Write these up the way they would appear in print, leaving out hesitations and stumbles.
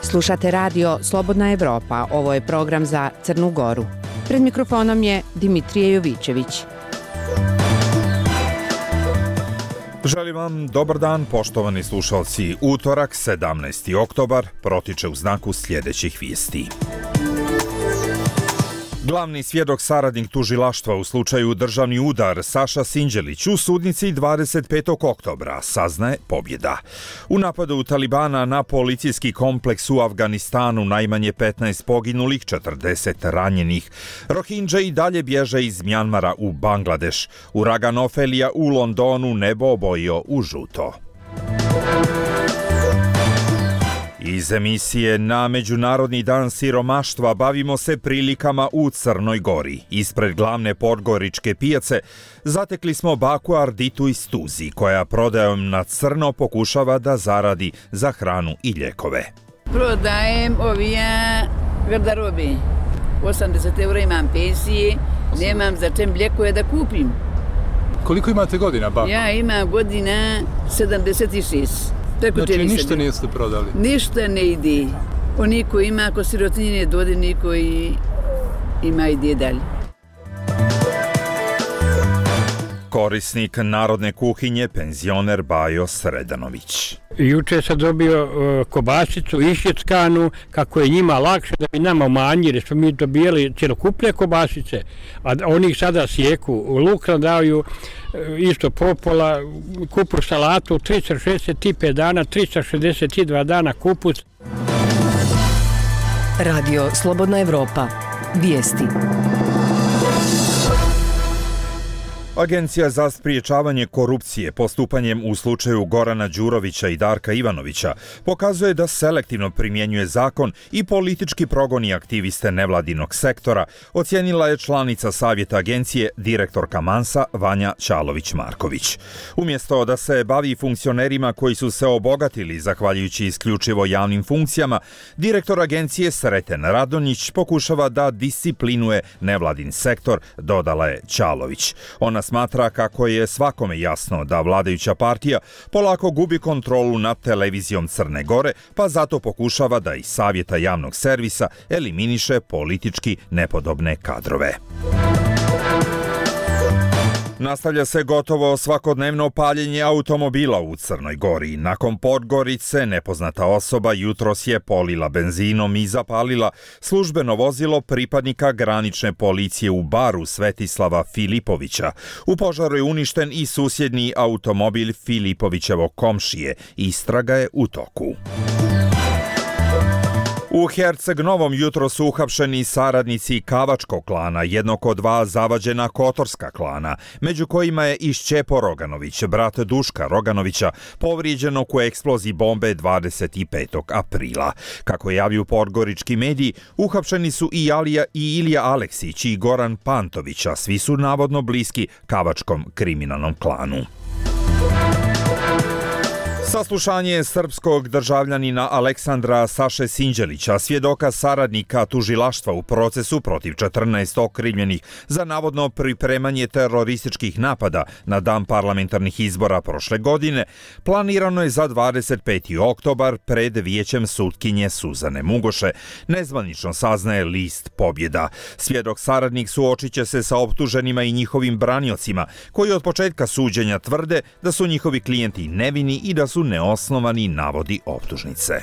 Slušate radio Slobodna Evropa, ovo je program za Crnu Goru. Pred mikrofonom je Dimitrije Jovićević. Želim vam dobar dan, poštovani slušalci. Utorak, 17. oktobar, protiče u znaku sljedećih vijesti. Glavni svjedok saradnik tužilaštva u slučaju državni udar Saša Sinđelić u sudnici 25. oktobra saznaje pobjeda. U napadu Talibana na policijski kompleks u Afganistanu najmanje 15 poginulih, 40 ranjenih. Rohingje i dalje bježe iz Mjanmara u Bangladeš. Uragan Ofelija u Londonu nebo obojio u žuto. Iz emisije na Međunarodni dan siromaštva bavimo se prilikama u Crnoj Gori. Ispred glavne podgoričke pijace zatekli smo baku Arditu iz Tuzi, koja prodajom na crno pokušava da zaradi za hranu i ljekove. Prodajem ovija garderobi. 80 eura imam pensije, nemam za čem ljekove da kupim. Koliko imate godina, bako? Ja imam godina 76. Znači ništa niste prodali? Ništa ne ide. Oni koji ima, ako sirotinje ne dode, niko ima ide dalje. Korisnik narodne kuhinje, penzioner Bajo Sredanović. Juče sam dobio kobasicu išjeckanu, kako je njima lakše da bi nama umanjili, jer smo mi dobijali cjelokupne kobasice, a oni sada sjeku, luk nam daju isto popola, kupus salatu, 365 dana, 362 dana kupus. Radio Slobodna Evropa. Vijesti. Agencija za spriječavanje korupcije postupanjem u slučaju Gorana Đurovića i Darka Ivanovića pokazuje da selektivno primjenjuje zakon i politički progoni aktiviste nevladinog sektora, ocijenila je članica savjeta agencije, direktorka Mansa Vanja Ćalović-Marković. Umjesto da se bavi funkcionerima koji su se obogatili zahvaljujući isključivo javnim funkcijama, direktor agencije Sreten Radonjić pokušava da disciplinuje nevladin sektor, dodala je Ćalović. Ona smatra kako je svakome jasno da vladajuća partija polako gubi kontrolu nad televizijom Crne Gore, pa zato pokušava da iz savjeta javnog servisa eliminiše politički nepodobne kadrove. Nastavlja se gotovo svakodnevno paljenje automobila u Crnoj Gori. Nakon Podgorice, nepoznata osoba jutros je polila benzinom i zapalila službeno vozilo pripadnika granične policije u Baru Svetislava Filipovića. U požaru je uništen i susjedni automobil Filipovićevog komšije. Istraga je u toku. U Herceg Novom jutro su uhapšeni saradnici Kavačkog klana, jednog od dva zavađena Kotorska klana, među kojima je i Šćepo Roganović, brat Duška Roganovića, povrijeđenog u eksploziji bombe 25. aprila. Kako javlju podgorički mediji, uhapšeni su i Alija i Ilija Aleksić i Goran Pantović, a svi su navodno bliski Kavačkom kriminalnom klanu. Saslušanje srpskog državljanina Aleksandra Saše Sinđelića, svjedoka saradnika tužilaštva u procesu protiv 14 okrivljenih za navodno pripremanje terorističkih napada na dan parlamentarnih izbora prošle godine, planirano je za 25. oktobar pred vijećem sutkinje Suzane Mugoše, nezvanično saznaje list Pobjeda. Svjedok saradnik suočit će se sa optuženima i njihovim braniocima, koji od početka suđenja tvrde da su njihovi klijenti nevini i da su neosnovani navodi optužnice.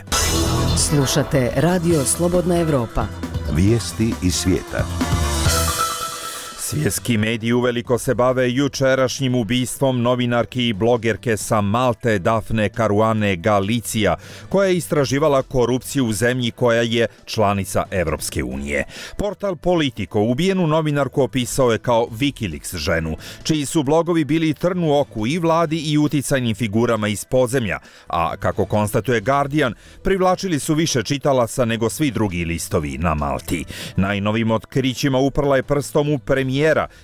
Slušate Radio Slobodna Evropa. Vijesti iz svijeta. Svjetski mediji uveliko se bave jučerašnjim ubistvom novinarki i blogerke sa Malte Dafne Caruane Galizia, koja je istraživala korupciju u zemlji koja je članica Evropske unije. Portal Politico ubijenu novinarku opisao je kao Wikileaks ženu, čiji su blogovi bili trn u oku i vladi i uticajnim figurama iz podzemlja, a kako konstatuje Guardian, privlačili su više čitalaca nego svi drugi listovi na Malti. Najnovim otkrićima uprla je prstom u premijera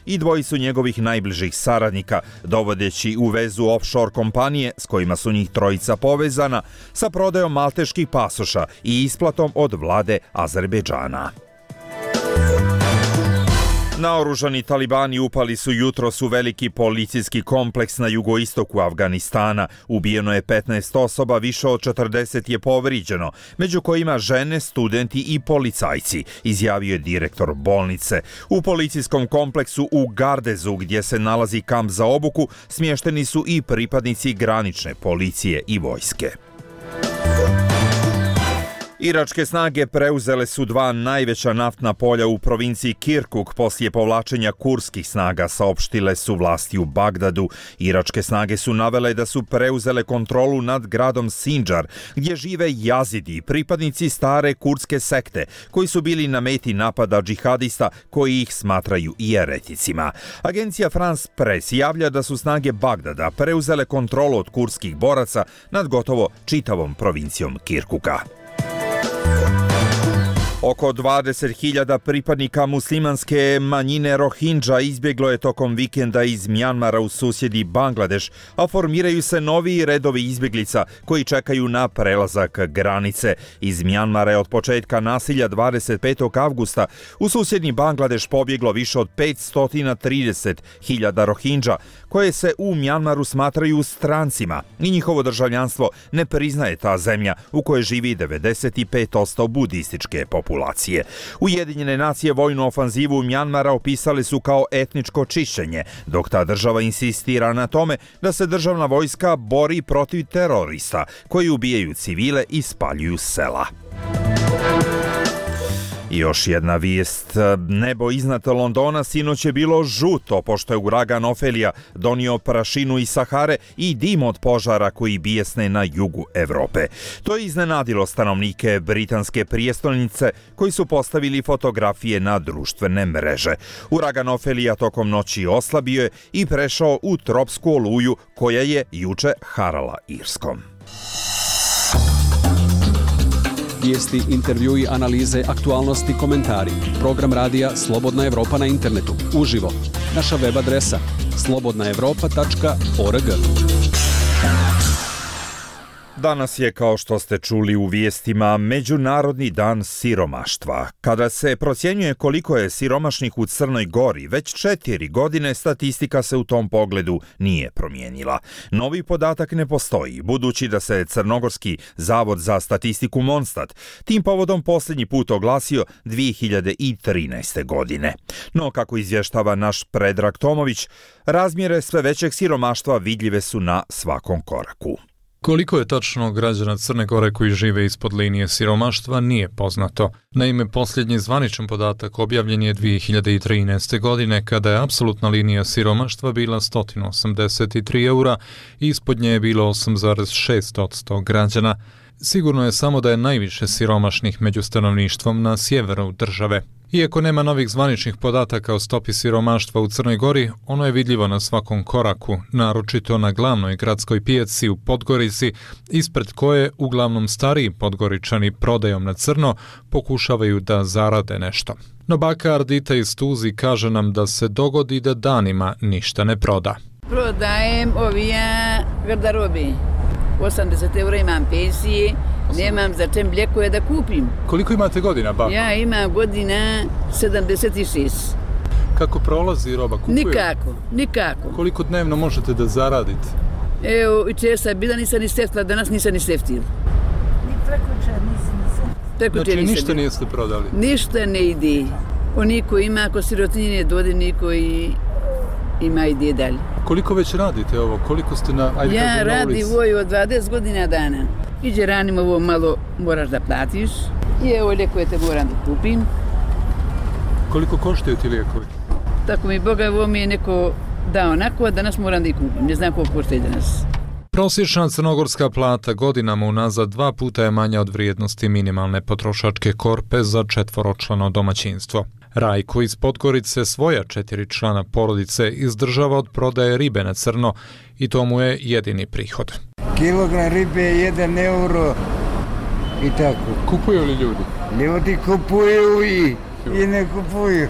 i dvojicu njegovih najbližih saradnika, dovodeći u vezu offshore kompanije s kojima su njih trojica povezana sa prodajom malteških pasoša i isplatom od vlade Azerbejdžana. Naoružani talibani upali su jutros u veliki policijski kompleks na jugoistoku Afganistana. Ubijeno je 15 osoba, više od 40 je povrijeđeno, među kojima žene, studenti i policajci, izjavio je direktor bolnice. U policijskom kompleksu u Gardezu, gdje se nalazi kamp za obuku, smješteni su i pripadnici granične policije i vojske. Iračke snage preuzele su dva najveća naftna polja u provinciji Kirkuk poslije povlačenja kurdskih snaga, saopštile su vlasti u Bagdadu. Iračke snage su navele da su preuzele kontrolu nad gradom Sinjar, gdje žive jazidi, pripadnici stare kurdske sekte, koji su bili na meti napada džihadista koji ih smatraju i ereticima. Agencija France Press javlja da su snage Bagdada preuzele kontrolu od kurdskih boraca nad gotovo čitavom provincijom Kirkuka. Oko 20.000 pripadnika muslimanske manjine Rohingya izbjeglo je tokom vikenda iz Mjanmara u susjedi Bangladeš, a formiraju se novi redovi izbjeglica koji čekaju na prelazak granice. Iz Mjanmara je od početka nasilja 25. avgusta u susjedni Bangladeš pobjeglo više od 530.000 Rohingya, koje se u Mjanmaru smatraju strancima i njihovo državljanstvo ne priznaje ta zemlja u kojoj živi 95% budističke populacije. Ujedinjene nacije vojnu ofanzivu Mjanmara opisali su kao etničko čišćenje, dok ta država insistira na tome da se državna vojska bori protiv terorista koji ubijaju civile i spaljuju sela. I još jedna vijest. Nebo iznad Londona sinoć je bilo žuto, pošto je uragan Ofelija donio prašinu iz Sahare i dim od požara koji bijesne na jugu Europe. To je iznenadilo stanovnike britanske prijestolnice koji su postavili fotografije na društvene mreže. Uragan Ofelija tokom noći oslabio je i prešao u tropsku oluju koja je juče harala Irskom. Vijesti, intervjui, analize, aktualnosti, komentari. Program radija Slobodna Evropa na internetu. Uživo. Naša web adresa slobodnaevropa.org. Danas je, kao što ste čuli u vijestima, Međunarodni dan siromaštva. Kada se procjenjuje koliko je siromašnih u Crnoj Gori, već 4 godine statistika se u tom pogledu nije promijenila. Novi podatak ne postoji, budući da se Crnogorski zavod za statistiku Monstat tim povodom posljednji put oglasio 2013. godine. No, kako izvještava naš Predrag Tomović, razmjere sve većeg siromaštva vidljive su na svakom koraku. Koliko je tačno građana Crne Gore koji žive ispod linije siromaštva nije poznato. Naime, posljednji zvaničan podatak objavljen je 2013. godine kada je apsolutna linija siromaštva bila 183 eura i ispod nje je bilo 8,6% građana. Sigurno je samo da je najviše siromašnih među stanovništvom na sjeveru države. Iako nema novih zvaničnih podataka o stopi siromaštva u Crnoj Gori, ono je vidljivo na svakom koraku, naročito na glavnoj gradskoj pijaci u Podgorici, ispred koje uglavnom stariji Podgoričani prodajom na crno pokušavaju da zarade nešto. No baka Ardita iz Tuzi kaže nam da se dogodi da danima ništa ne proda. Prodajem garderobi. 80 eura imam pensije, nemam za čem lijekove da kupim. Koliko imate godina, bako? Ja imam godina 76. Kako prolazi roba? Kupuje? Nikako. Koliko dnevno možete da zaradite? Evo, jučer sam bila, nisam ni seftila, danas nisam ni seftila. Ni prekučer nisam. Znači ništa niste prodali? Ništa ne ide. Oni koji ima, ako sirotinje dode, niko i ima ide dalje. Koliko već radite ovo? Koliko ste na ulici? Ja radim ovo od 20 godina dana. Iđe ranim ovo malo moraš da platiš i evo lijekove te moram da kupim. Koliko koštaju ti lijekovi? Tako mi Boga, ovo mi je neko dao onako, a danas moram da ih kupim. Ne znam koliko koštaju danas. Prosječna crnogorska plata godinama unazad 2 puta je manja od vrijednosti minimalne potrošačke korpe za 4-člano domaćinstvo. Rajko iz Podgorice svoja 4-člana porodice izdržava od prodaje ribe na crno i to mu je jedini prihod. Kilogram ribe je 1 euro i tako. Kupuju li ljudi? Ljudi kupuju i ne kupuju.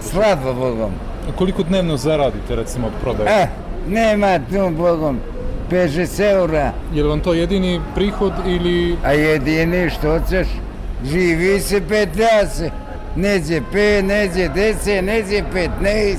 Slabo, Bogom. A koliko dnevno zaradite, recimo, od prodaje? Nema tu, Bogom. 5-6 eura. Je li vam to jedini prihod ili... A jedini, što ćeš? Živi se 15. neđe 5, neđe 10, neđe 15.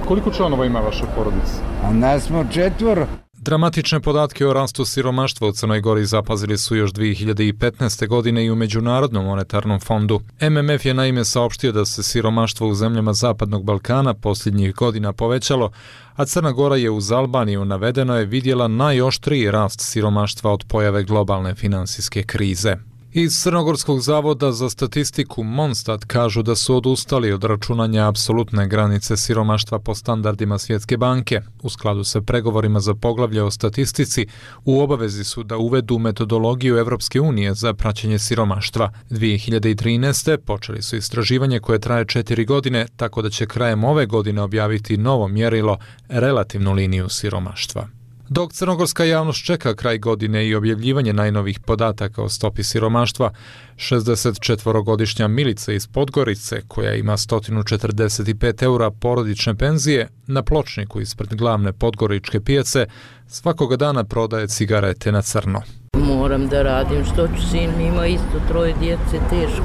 Koliko članova ima vaša porodica? A nas smo 4. Dramatične podatke o rastu siromaštva u Crnoj Gori zapazili su još 2015. godine i u Međunarodnom monetarnom fondu. MMF je naime saopštio da se siromaštvo u zemljama Zapadnog Balkana posljednjih godina povećalo, a Crna Gora je uz Albaniju, navedeno je, vidjela najoštriji rast siromaštva od pojave globalne finansijske krize. Iz Crnogorskog zavoda za statistiku Monstat kažu da su odustali od računanja apsolutne granice siromaštva po standardima Svjetske banke. U skladu sa pregovorima za poglavlje o statistici, u obavezi su da uvedu metodologiju Evropske unije za praćenje siromaštva. 2013. počeli su istraživanje koje traje 4 godine, tako da će krajem ove godine objaviti novo mjerilo, relativnu liniju siromaštva. Dok crnogorska javnost čeka kraj godine i objavljivanje najnovih podataka o stopi siromaštva, 64-godišnja Milica iz Podgorice, koja ima 145 eura porodične penzije, na pločniku ispred glavne podgoričke pijace svakoga dana prodaje cigarete na crno. Moram da radim, što ću, sin mi ima isto 3 djece, teško.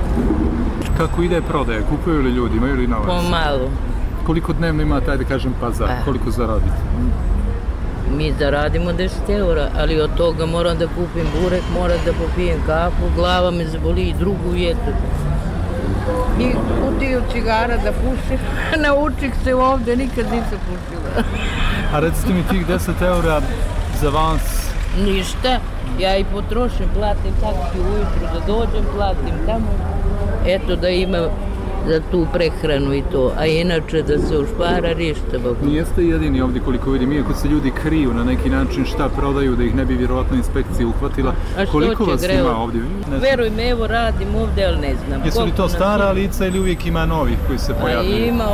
Kako ide prodaja? Kupuju li ljudi? Imaju li novac? Pomalo. Koliko dnevno ima, taj da kažem, pazar? Koliko zaradite? Mi zaradimo 10 eura, ali od toga moram da kupim burek, moram da popijem kafu, glava me zaboli i drugu jedu. I kutiju cigara da pušim, naučih se ovdje, nikad nisam pušila. A recite mi tih 10 eura za vas? Ništa, ja i potrošim, platim taksi ujutru da dođem, platim tamo, eto da ima za tu prehranu i to, a inače da se ušpara ništa. Nijeste jedini ovdje koliko vidim, iako se ljudi kriju na neki način šta prodaju da ih ne bi vjerojatno inspekcija uhvatila. Koliko vas ima ovdje? Veruj me, evo radim ovdje, ali ne znam. Jesu li to stara lica ili uvijek ima novih koji se pojavljaju? Ima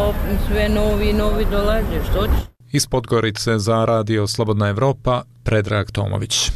sve novi dolaze, što će? Iz Podgorice za Radio Slobodna Evropa, Predrag Tomović.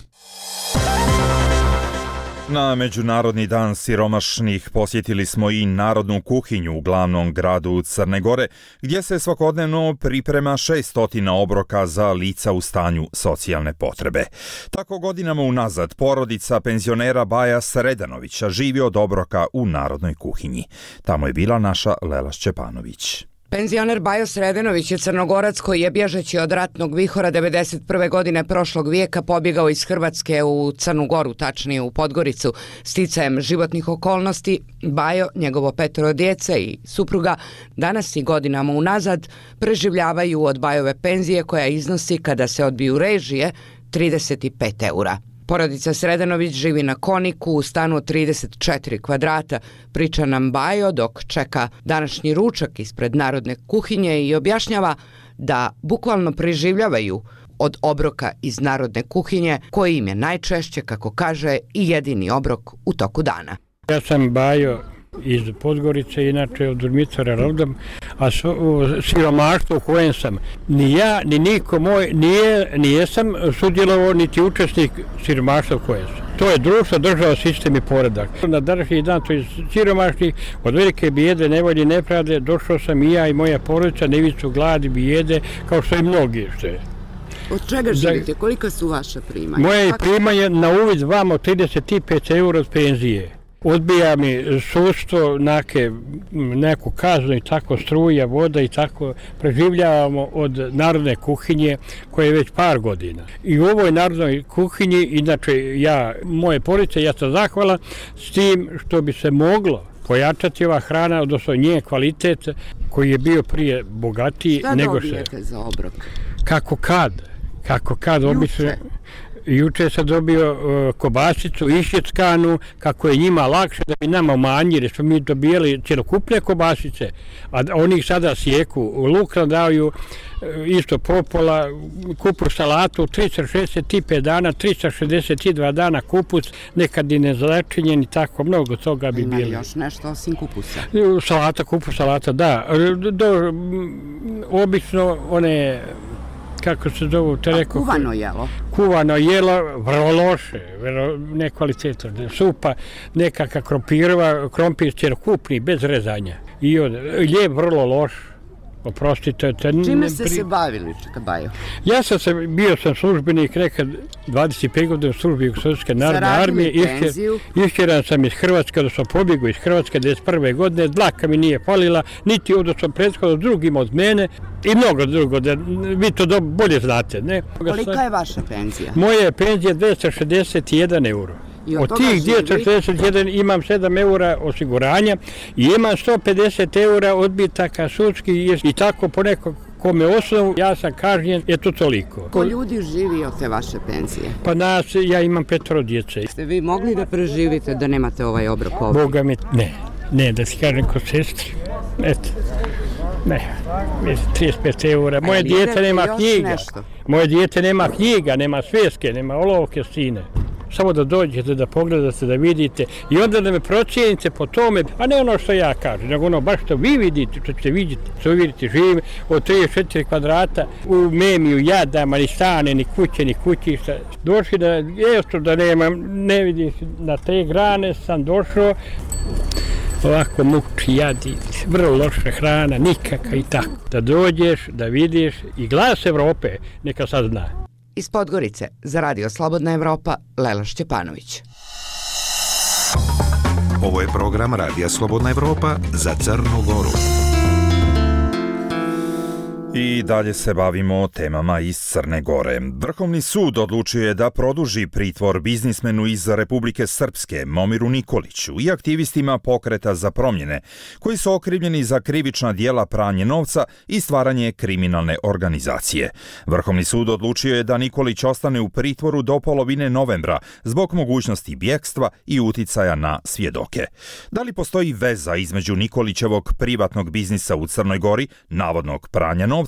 Na Međunarodni dan siromašnih posjetili smo i narodnu kuhinju u glavnom gradu Crne Gore, gdje se svakodnevno priprema 600 obroka za lica u stanju socijalne potrebe. Tako godinama unazad porodica penzionera Baja Sredanovića živi od obroka u narodnoj kuhinji. Tamo je bila naša Lela Šćepanović. Penzioner Bajo Sredenović je Crnogorac koji je bježeći od ratnog vihora 1991. godine prošlog vijeka pobjegao iz Hrvatske u Crnu Goru, tačnije u Podgoricu. Sticajem životnih okolnosti, Bajo, njegovo 5 djece i supruga danas i godinama unazad preživljavaju od Bajove penzije koja iznosi, kada se odbiju režije, 35 eura. Porodica Sredanović živi na Koniku u stanu od 34 kvadrata, priča nam Bajo dok čeka današnji ručak ispred narodne kuhinje i objašnjava da bukvalno preživljavaju od obroka iz narodne kuhinje, koji im je najčešće, kako kaže, i jedini obrok u toku dana. Ja sam Bajo iz Podgorice, inače od Durmitora rodom, a siromaštvo u kojem sam ni ja, ni niko moj, nijesam sudjelovao, niti učesnik siromaštva u kojem sam. To je društvo, država, sistem i poredak. Na današnji dan, to je siromašni, od velike bijede, nevolje i nepravde, došao sam i ja i moja porodica na ivicu gladi, bijede, kao što i mnogi što. Od čega živite? Kolika su vaše primanja? Moje primanje na uvid vamo 35 eura od penzije. Odbija mi sudstvo, neku kaznu i tako, struja, voda i tako, preživljavamo od narodne kuhinje koje je već par godina. I u ovoj narodnoj kuhinji, inače moje porodice, ja sam zahvalan s tim što bi se moglo pojačati ova hrana, odnosno njen kvalitet koji je bio prije bogatiji nego se. Šta dobijete za obrok? Kako kad, obično. Juče sam dobio kobasicu išjeckanu, kako je njima lakše da bi nama umanjili, smo mi dobijali cjelokupne kobasice, a oni sada sjeku, luk daju isto popola, kupus salatu, 365 dana, 362 dana kupus, nekad i nezalečenjen i tako, mnogo toga bi bilo. Ima još nešto osim kupusa? Kupus salata, da. Obično one, kako se zovu, kuvano jelo? Kuvano jelo, vrlo loše, vrlo nekvalitetno. Supa, nekakva krompir cjelokupni, bez rezanja. I lijep vrlo loš. Oprostite. Čime ste se bavili, Čikabajo? Ja bio sam službenik nekad 25 godina u službi Jugoslavijske narodne armije. Išćeran sam iz Hrvatske, da sam pobjegao iz Hrvatske 1991. godine. Dlaka mi nije falila, niti ovdje sam prethodno drugim od mene i mnogo drugo. Vi to bolje znate. Ne? Kolika je vaša penzija? Moja je penzija 261 euro. Od tih 261 imam 7 eura osiguranja i imam 150 eura odbitaka sudskih i tako po nekome osnovu ja sam kažnjen, je to toliko. Ko ljudi živi od te vaše penzije? Pa ja imam 5 djece. Ste vi mogli da preživite da nemate ovaj obrok ovdje? Boga mi, ne, da ti kažem kod sestri, eto. Ne, 35 eura. Moje dijete nema knjiga. Moje dijete nema knjiga, nema sveske, nema olovke, sine. Samo da dođete, da pogledate, da vidite i onda da me procijenite po tome, a ne ono što ja kažem, nego ono baš što vi vidite, što ćete vidjeti, što vi vidite, živim od 34 kvadrata u Memiju, jadama, ni stane, ni kuće, ni kućišta. Došli da nemam, ne vidiš, na te grane sam došao, ovako muči, jadi, vrlo loša hrana, nikakva i tako. Da dođeš, da vidiš i glas Evrope, neka sad zna. Iz Podgorice, za Radio Slobodna Evropa, Lela Šćepanović. Ovo je program Radija Slobodna Evropa za Crnu Goru. I dalje se bavimo temama iz Crne Gore. Vrhovni sud odlučio je da produži pritvor biznismenu iz Republike Srpske Momiru Nikoliću i aktivistima Pokreta za promjene, koji su okrivljeni za krivična djela pranje novca i stvaranje kriminalne organizacije. Vrhovni sud odlučio je da Nikolić ostane u pritvoru do polovine novembra zbog mogućnosti bjegstva i uticaja na svjedoke. Da li postoji veza između Nikolićevog privatnog biznisa u Crnoj Gori, navodnog pranja novca,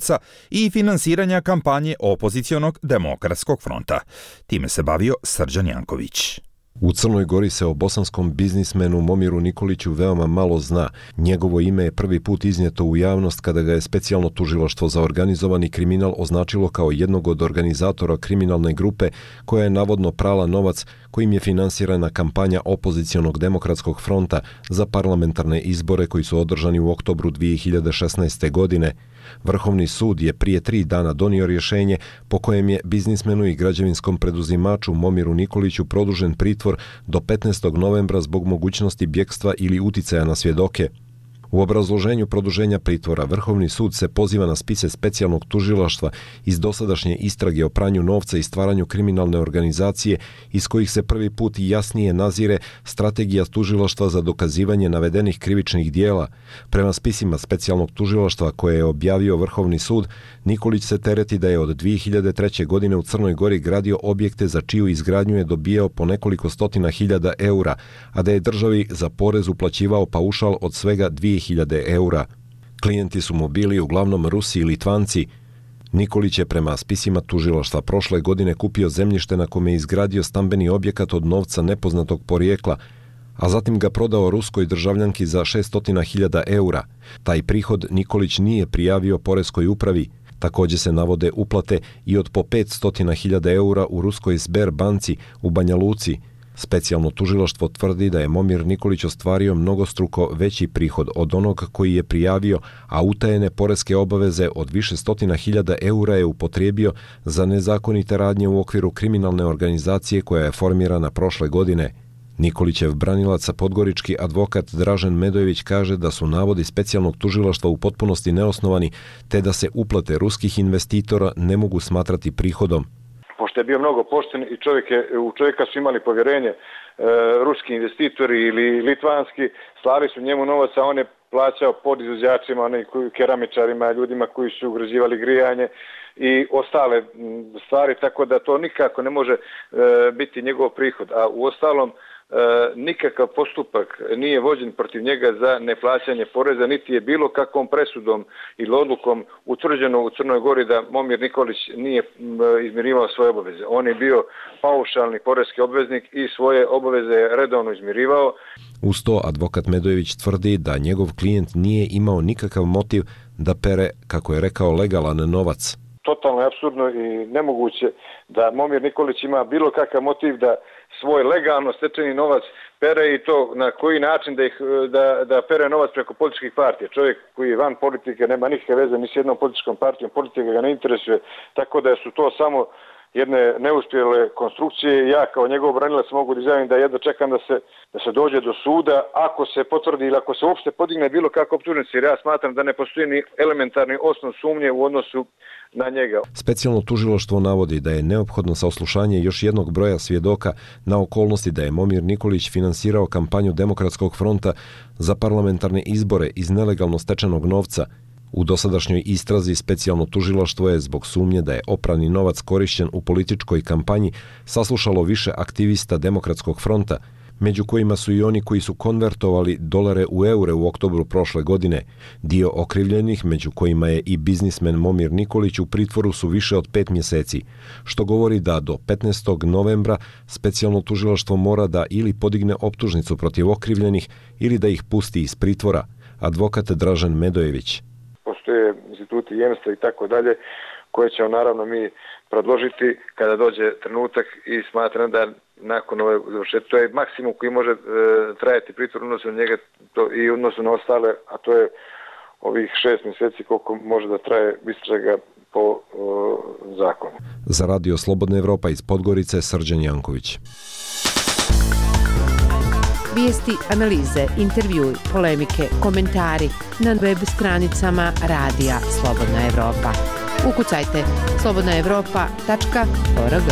i finansiranja kampanje opozicionog Demokratskog fronta? Time se bavio Srđan Janković. U Crnoj Gori se o bosanskom biznismenu Momiru Nikoliću veoma malo zna. Njegovo ime je prvi put iznijeto u javnost kada ga je specijalno tužilaštvo za organizovani kriminal označilo kao jednog od organizatora kriminalne grupe koja je navodno prala novac kojim je finansirana kampanja opozicionog Demokratskog fronta za parlamentarne izbore koji su održani u oktobru 2016. godine. Vrhovni sud je prije 3 dana donio rješenje po kojem je biznismenu i građevinskom preduzimaču Momiru Nikoliću produžen pritvor do 15. novembra zbog mogućnosti bjegstva ili uticaja na svjedoke. U obrazloženju produženja pritvora Vrhovni sud se poziva na spise specijalnog tužilaštva iz dosadašnje istrage o pranju novca i stvaranju kriminalne organizacije iz kojih se prvi put jasnije nazire strategija tužilaštva za dokazivanje navedenih krivičnih dijela. Prema spisima specijalnog tužilaštva koje je objavio Vrhovni sud, Nikolić se tereti da je od 2003. godine u Crnoj Gori gradio objekte za čiju izgradnju je dobijao po nekoliko stotina hiljada eura, a da je državi za porez uplaćivao paušal od svega 2000 eura. Klijenti su mu bili uglavnom Rusi i Litvanci. Nikolić je prema spisima tužilaštva prošle godine kupio zemljište na kome je izgradio stambeni objekat od novca nepoznatog porijekla, a zatim ga prodao ruskoj državljanki za 600.000 eura. Taj prihod Nikolić nije prijavio poreskoj upravi. Također se navode uplate i od po 500.000 eura u ruskoj Sber banci u Banja Luci. Specijalno tužilaštvo tvrdi da je Momir Nikolić ostvario mnogostruko veći prihod od onog koji je prijavio, a utajene poreske obaveze od više stotina hiljada eura je upotrijebio za nezakonite radnje u okviru kriminalne organizacije koja je formirana prošle godine. Nikolićev branilac, podgorički advokat Dražen Medojević, kaže da su navodi specijalnog tužilaštva u potpunosti neosnovani, te da se uplate ruskih investitora ne mogu smatrati prihodom. Pošto je bio mnogo pošten i u čovjeka su imali povjerenje, ruski investitori ili litvanski, slali su njemu novac, a on je plaćao podizvođačima, keramičarima, ljudima koji su ugrađivali grijanje i ostale stvari, tako da to nikako ne može biti njegov prihod. A u ostalom, nikakav postupak nije vođen protiv njega za neplaćanje poreza, niti je bilo kakvom presudom ili odlukom utvrđeno u Crnoj Gori da Momir Nikolić nije izmirivao svoje obaveze. On je bio paušalni poreski obveznik i svoje obaveze je redovno izmirivao. Uz to advokat Medojević tvrdi da njegov klijent nije imao nikakav motiv da pere, kako je rekao, legalan novac. Totalno je apsurdno i nemoguće da Momir Nikolić ima bilo kakav motiv da svoj legalno stečeni novac pere i to na koji način da pere novac preko političkih partija. Čovjek koji je van politike nema nikakve veze ni s jednom političkom partijom, politika ga ne interesuje, tako da su to samo jedne neuspjele konstrukcije. Ja kao njegov branilac mogu da izjavim da jedno čekam da se dođe do suda ako se potvrdi ili ako se uopšte podigne bilo kako optužnica, jer ja smatram da ne postoji ni elementarni osnov sumnje u odnosu na njega. Specijalno tužilaštvo navodi da je neophodno saslušanje još jednog broja svjedoka na okolnosti da je Momir Nikolić finansirao kampanju Demokratskog fronta za parlamentarne izbore iz nelegalno stečenog novca. U dosadašnjoj istrazi specijalno tužilaštvo je zbog sumnje da je oprani novac korišćen u političkoj kampanji saslušalo više aktivista Demokratskog fronta, među kojima su i oni koji su konvertovali dolare u eure u oktobru prošle godine. Dio okrivljenih, među kojima je i biznismen Momir Nikolić, u pritvoru su više od 5 mjeseci, što govori da do 15. novembra specijalno tužilaštvo mora da ili podigne optužnicu protiv okrivljenih ili da ih pusti iz pritvora. Advokat Dražen Medojević. Postoje instituti jemstva i tako dalje, koje ćemo naravno mi predložiti kada dođe trenutak i smatram da nakon ove završetka, to je maksimum koji može trajati pritvor odnosno njega i odnosno na ostale, a to je ovih 6 mjeseci koliko može da traje istraga po zakonu. Za Radio Slobodna Evropa iz Podgorice, Srđan Janković. Vijesti, analize, intervjui, polemike, komentari na web stranicama Radija Slobodna Evropa. Ukucajte slobodnaevropa.org.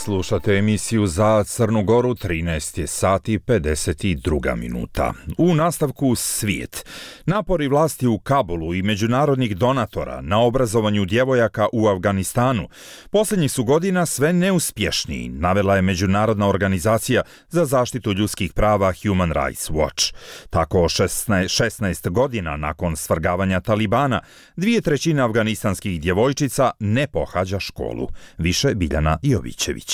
Slušate emisiju za Crnu Goru, 13 je sati 52 minuta. U nastavku svijet. Napori vlasti u Kabulu i međunarodnih donatora na obrazovanju djevojaka u Afganistanu posljednjih su godina sve neuspješniji, navela je Međunarodna organizacija za zaštitu ljudskih prava Human Rights Watch. Tako 16 godina nakon svrgavanja Talibana, 2/3 afganistanskih djevojčica ne pohađa školu. Više Biljana Jovićević.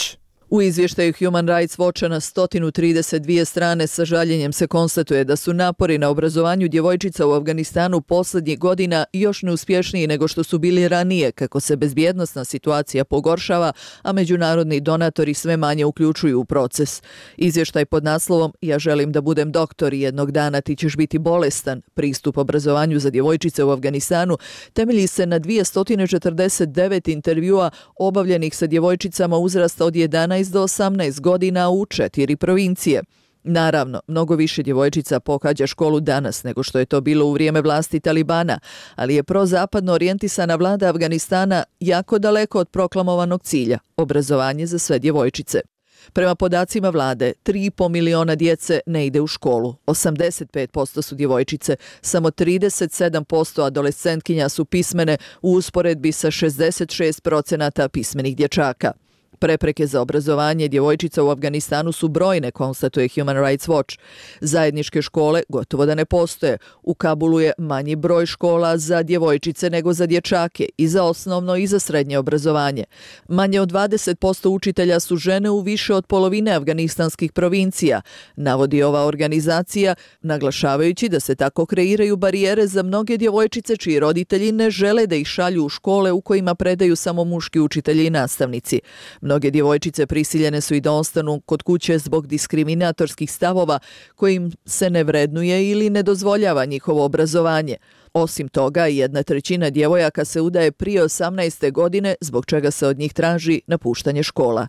U izvještaju Human Rights Watcha na 132 strane sa žaljenjem se konstatuje da su napori na obrazovanju djevojčica u Afganistanu posljednjih godina još neuspješniji nego što su bili ranije, kako se bezbjednosna situacija pogoršava, a međunarodni donatori sve manje uključuju u proces. Izvještaj pod naslovom "Ja želim da budem doktor i jednog dana ti ćeš biti bolestan" pristup obrazovanju za djevojčice u Afganistanu temelji se na 249 intervjua obavljenih sa djevojčicama uzrasta od 11 do 18 godina u 4 provincije. Naravno, mnogo više djevojčica pohađa školu danas nego što je to bilo u vrijeme vlasti Talibana, ali je prozapadno orijentisana vlada Afganistana jako daleko od proklamovanog cilja – obrazovanje za sve djevojčice. Prema podacima vlade, 3,5 miliona djece ne ide u školu. 85% su djevojčice, samo 37% adolescentkinja su pismene u usporedbi sa 66% pismenih dječaka. Prepreke za obrazovanje djevojčica u Afganistanu su brojne, konstatuje Human Rights Watch. Zajedničke škole gotovo da ne postoje. U Kabulu je manji broj škola za djevojčice nego za dječake, i za osnovno i za srednje obrazovanje. Manje od 20% učitelja su žene u više od polovine afganistanskih provincija, navodi ova organizacija, naglašavajući da se tako kreiraju barijere za mnoge djevojčice čiji roditelji ne žele da ih šalju u škole u kojima predaju samo muški učitelji i nastavnici. Mnoge djevojčice prisiljene su i da ostanu kod kuće zbog diskriminatorskih stavova kojim se ne vrednuje ili ne dozvoljava njihovo obrazovanje. Osim toga, 1/3 djevojaka se udaje prije 18. godine, zbog čega se od njih traži napuštanje škola.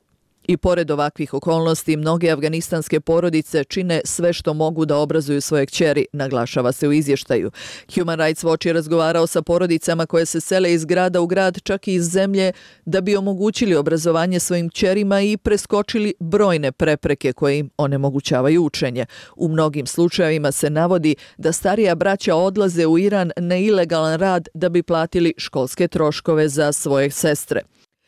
I pored ovakvih okolnosti, mnoge afganistanske porodice čine sve što mogu da obrazuju svoje kćeri, naglašava se u izvještaju. Human Rights Watch je razgovarao sa porodicama koje se sele iz grada u grad, čak i iz zemlje, da bi omogućili obrazovanje svojim kćerima i preskočili brojne prepreke koje im onemogućavaju učenje. U mnogim slučajevima se navodi da starija braća odlaze u Iran na ilegalan rad da bi platili školske troškove za svoje sestre.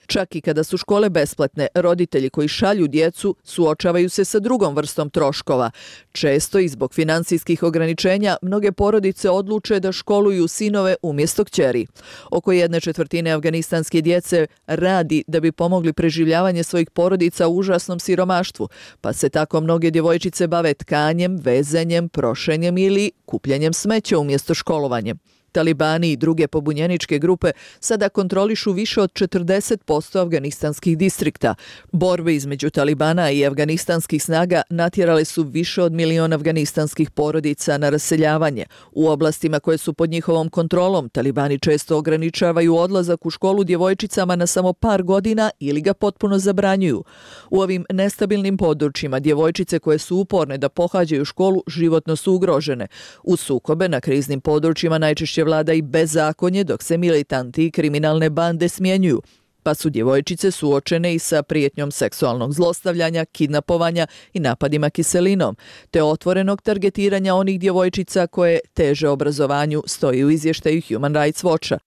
Čak i kada su škole besplatne, roditelji koji šalju djecu suočavaju se sa drugom vrstom troškova. Često i zbog financijskih ograničenja mnoge porodice odluče da školuju sinove umjesto kćeri. Oko 1/4 afganistanske djece radi da bi pomogli preživljavanje svojih porodica u užasnom siromaštvu, pa se tako mnoge djevojčice bave tkanjem, vezanjem, prošenjem ili kupljanjem smeća umjesto školovanjem. Talibani i druge pobunjeničke grupe sada kontrolišu više od 40% afganistanskih distrikta. Borbe između Talibana i afganistanskih snaga natjerale su više od 1 milion afganistanskih porodica na raseljavanje. U oblastima koje su pod njihovom kontrolom, Talibani često ograničavaju odlazak u školu djevojčicama na samo par godina ili ga potpuno zabranjuju. U ovim nestabilnim područjima djevojčice koje su uporne da pohađaju školu životno su ugrožene. U sukobe na kriznim područjima najčešće vlada i bezakonje, dok se militanti i kriminalne bande smjenjuju, pa su djevojčice suočene i sa prijetnjom seksualnog zlostavljanja, kidnapovanja i napadima kiselinom, te otvorenog targetiranja onih djevojčica koje teže obrazovanju, stoji u izvještaju Human Rights Watcha.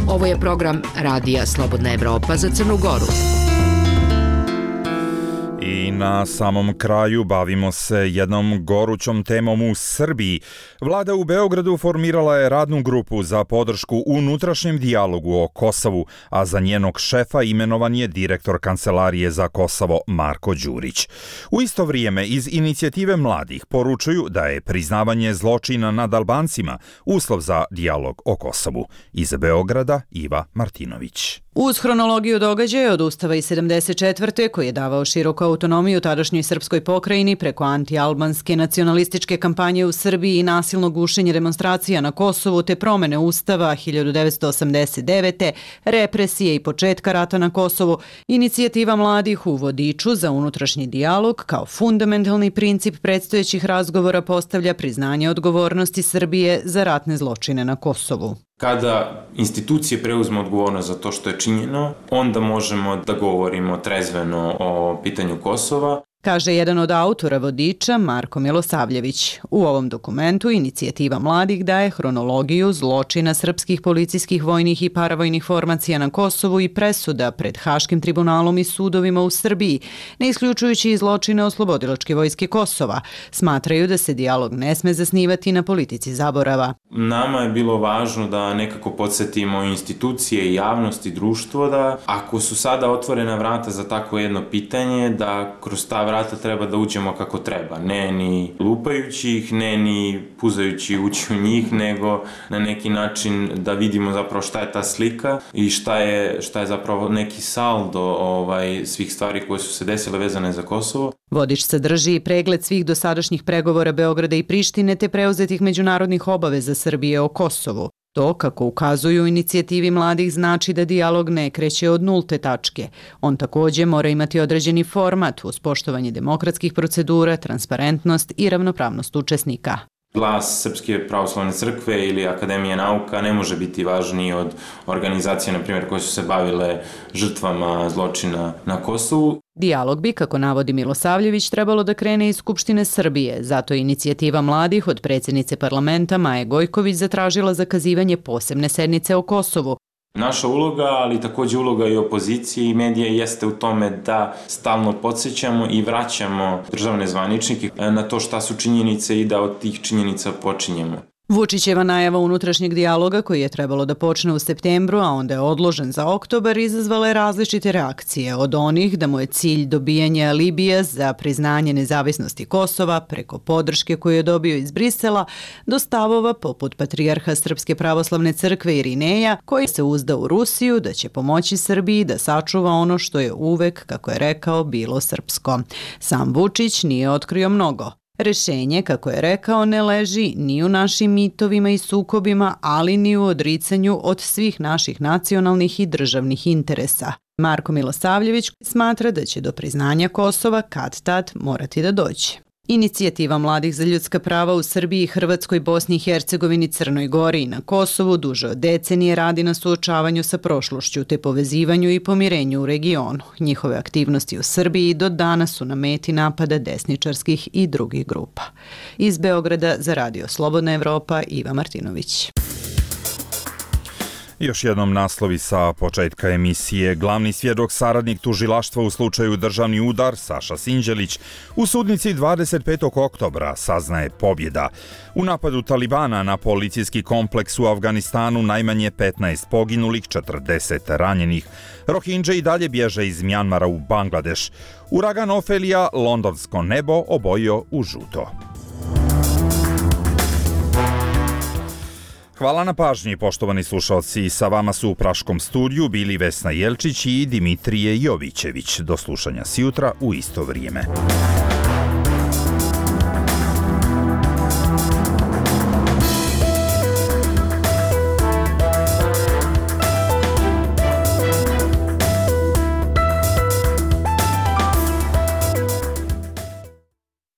Ovo je program Radija Slobodna Evropa za Crnu Goru. I na samom kraju bavimo se jednom gorućom temom u Srbiji. Vlada u Beogradu formirala je radnu grupu za podršku unutrašnjem dijalogu o Kosovu, a za njenog šefa imenovan je direktor Kancelarije za Kosovo Marko Đurić. U isto vrijeme iz inicijative mladih poručuju da je priznavanje zločina nad Albancima uslov za dijalog o Kosovu. Iz Beograda Iva Martinović. Uz hronologiju događaja od Ustava iz 74. koji je davao široku autonomiju tadašnjoj srpskoj pokrajini preko anti-albanske nacionalističke kampanje u Srbiji i nasilno gušenje demonstracija na Kosovu te promene Ustava 1989. represije i početka rata na Kosovu, inicijativa mladih u vodiču za unutrašnji dijalog kao fundamentalni princip predstojećih razgovora postavlja priznanje odgovornosti Srbije za ratne zločine na Kosovu. Kada institucije preuzmu odgovornost za to što je činjeno, onda možemo da govorimo trezveno o pitanju Kosova. Kaže jedan od autora vodiča Marko Milosavljević. U ovom dokumentu inicijativa mladih daje hronologiju zločina srpskih policijskih, vojnih i paravojnih formacija na Kosovu i presuda pred Haškim tribunalom i sudovima u Srbiji, ne isključujući i zločine oslobodilačke vojske Kosova. Smatraju da se dijalog ne sme zasnivati na politici zaborava. Nama je bilo važno da nekako podsjetimo institucije, javnost i društvo da ako su sada otvorena vrata za tako jedno pitanje, da kroz ta vrata treba da uđemo kako treba. Ne ni lupajući ih, ne ni puzajući ući u njih, nego na neki način da vidimo zapravo šta je ta slika i šta je zapravo neki saldo svih stvari koje su se desile vezane za Kosovo. Vodič sadrži i pregled svih dosadašnjih pregovora Beograda i Prištine te preuzetih međunarodnih obaveza Srbije o Kosovu. To, kako ukazuju inicijativi mladih, znači da dijalog ne kreće od nulte tačke. On također mora imati određeni format uz poštovanje demokratskih procedura, transparentnost i ravnopravnost učesnika. Glas Srpske pravoslavne crkve ili Akademije nauka ne može biti važniji od organizacije, na primjer, koje su se bavile žrtvama zločina na Kosovu. Dijalog bi, kako navodi Milosavljević, trebalo da krene iz Skupštine Srbije. Zato je inicijativa mladih od predsjednice parlamenta Maje Gojković zatražila zakazivanje posebne sednice o Kosovu. Naša uloga, ali također uloga i opozicije i medija jeste u tome da stalno podsjećamo i vraćamo državne zvaničnike na to šta su činjenice i da od tih činjenica počinjemo. Vučićeva najava unutrašnjeg dijaloga koji je trebalo da počne u septembru, a onda je odložen za oktobar, izazvala je različite reakcije. Od onih da mu je cilj dobijanje alibija za priznanje nezavisnosti Kosova preko podrške koju je dobio iz Brisela, do stavova poput patrijarha Srpske pravoslavne crkve Irineja, koji se uzda u Rusiju da će pomoći Srbiji da sačuva ono što je uvek, kako je rekao, bilo srpsko. Sam Vučić nije otkrio mnogo. Rešenje, kako je rekao, ne leži ni u našim mitovima i sukobima, ali ni u odricanju od svih naših nacionalnih i državnih interesa. Marko Milosavljević smatra da će do priznanja Kosova kad-tad morati da dođe. Inicijativa mladih za ljudska prava u Srbiji, Hrvatskoj, Bosni i Hercegovini, Crnoj Gori i na Kosovu duže od decenije radi na suočavanju sa prošlošću te povezivanju i pomirenju u regionu. Njihove aktivnosti u Srbiji do danas su na meti napada desničarskih i drugih grupa. Iz Beograda za Radio Slobodna Evropa, Iva Martinović. Još jednom naslovi sa početka emisije. Glavni svjedok, saradnik tužilaštva u slučaju državni udar, Saša Sinđelić, u sudnici 25. oktobra saznaje pobjeda. U napadu Talibana na policijski kompleks u Afganistanu najmanje 15 poginulih, 40 ranjenih. Rohingje i dalje bježe iz Mjanmara u Bangladeš. Uragan Ofelija londonsko nebo obojio u žuto. Hvala na pažnji, poštovani slušalci. Sa vama su u Praškom studiju bili Vesna Jelčić i Dimitrije Jovićević. Do slušanja sjutra u isto vrijeme.